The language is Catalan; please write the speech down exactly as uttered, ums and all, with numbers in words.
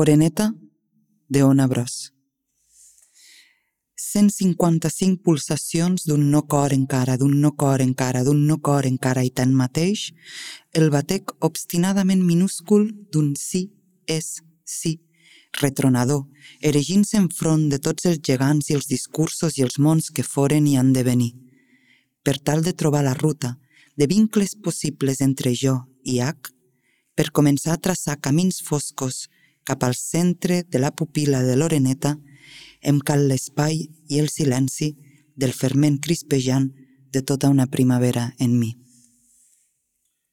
Oreneta, de Ona Bros. cent cinquanta-cinc pulsacions d'un no cor encara, d'un no cor encara, d'un no cor encara i tanmateix, el batec obstinadament minúscul d'un sí és sí, retronador, erigint-se enfront de tots els gegants i els discursos i els mons que foren i han de venir. Per tal de trobar la ruta de vincles possibles entre jo i H, per començar a traçar camins foscos cap al centre de la pupil·la de l'oreneta, em cal l'espai i el silenci del ferment crispejant de tota una primavera en mi.